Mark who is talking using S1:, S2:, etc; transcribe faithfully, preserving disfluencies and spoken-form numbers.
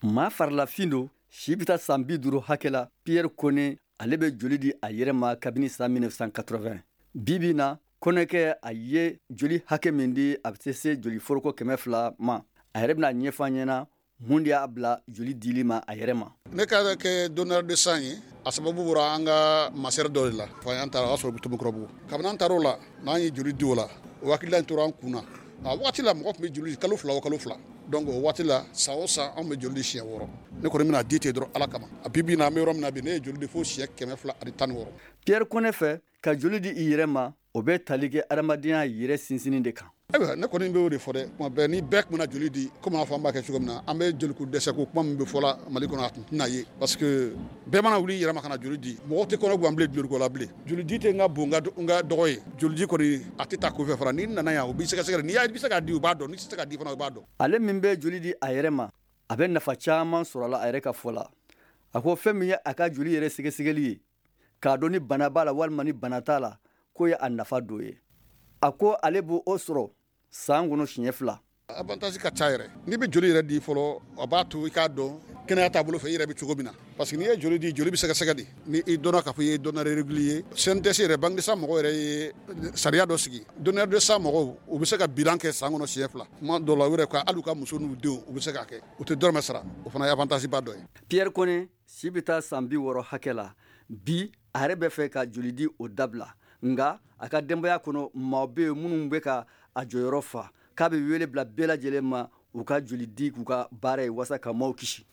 S1: Maa farilafin don, si bɛ taa san bi duuru hakɛ la. Pierre Kone, ale bɛ joli di a yɛrɛ ma kabini san mille neuf cent quatre-vingt. Bi bi na, Kɔnɛkɛ, a ye joli hakɛ min di, a bɛ se se joli foroko kɛmɛ fila ma. A yɛrɛ bɛna ɲɛfɔ an ɲɛna mun de y'a bila joli dili ma a yɛrɛ ma.
S2: Ne ka kɛ donneur de sang ye, a sababu bɔra an ka masɛri dɔ de la. Fa an taara, o y'a sɔrɔ Tobokɔrɔbugu. Kabini an taara o la, n'an ye joli di o la, o hakilila tora an kun na. A waati la, mɔgɔ tun bɛ joli kalo fila o kalo fila. Donc o waati la, san o san, anw bɛ joli di siɲɛ wɔɔrɔ. Ne kɔni bɛna di ten dɔrɔn Ala kama. A bi bi na, an bɛ yɔrɔ min na bi, ne ye joli di fo siɲɛ kɛmɛ fila ani tan ni wɔɔrɔ.
S1: Pierre Kɔnɛ fɛ, ka joli di i yɛrɛ ma, o bɛ tali kɛ adamadenya yɛrɛ sinsinni de kan.
S2: Ayiwa, ne kɔni bɛ o de fɔ dɛ. Tuma bɛɛ, ni bɛɛ tun bɛna joli di komi a fɔ an b'a kɛ cogo min na, an bɛ joliko dɛsɛ ko kuma min bɛ fɔla Mali kɔnɔ, a tun tɛna ye, parce que bɛɛ mana wuli i yɛrɛ ma ka na joli di, mɔgɔ tɛ kɔnɔ gan bilen joliko la bilen. Joli di tɛ n ka bon n ka dɔgɔ ye. Joli di kɔni, a tɛ taa kofɛ fana. N'i nana yan, u b'i sɛgɛsɛgɛ. N'i bɛ se k'a di, u b'a dɔn. N'i tɛ se k'a di fana, u b'a dɔn.
S1: Ale min bɛ joli di a yɛrɛ ma, a bɛ nafa caman sɔrɔ a la. A yɛrɛ ka fɔ la, a ko fɛn min ye a ka joli yɛrɛ sɛgɛsɛgɛli ye k'a dɔn ni bana b'a la walima ni bana t'a la, k'o ye a nafa dɔ ye. A ko ale b'o sɔrɔ san kɔnɔ siɲɛ fila.
S2: Avantage ka ca yɛrɛ. N'i bɛ joli yɛrɛ di fɔlɔ, a b'a to i k'a dɔn kɛnɛya taabolo fɛ, i yɛrɛ bɛ cogo min na, parce que n'i ye joli di, joli bɛ sɛgɛsɛgɛ de. Ni i dɔnna k'a fɔ i ye donneur régulier, C N T S yɛrɛ, banque de sang mɔgɔw yɛrɛ ye sariya dɔ sigi. Donneur de sang mɔgɔw, u bɛ se ka bilan kɛ san kɔnɔ siɲɛ fila. Tuma dɔw la, u yɛrɛ ka hali u ka muso n'u denw, u bɛ se k'a kɛ, u tɛ dɔrɔmɛ sara. O fana ye avantage ba dɔ ye.
S1: Pierre Kone si bɛ taa san bi wɔɔrɔ hakɛ la bi. A yɛrɛ bɛ fɛ ka joli di o dabila, nka a ka denbaya kɔnɔ, maaw bɛ yen minnu bɛ ka a jɔyɔrɔ fa. K'a bɛ wele bila bɛɛ lajɛlen ma, u ka joli di k'u ka baara ye walasa ka maaw kisi.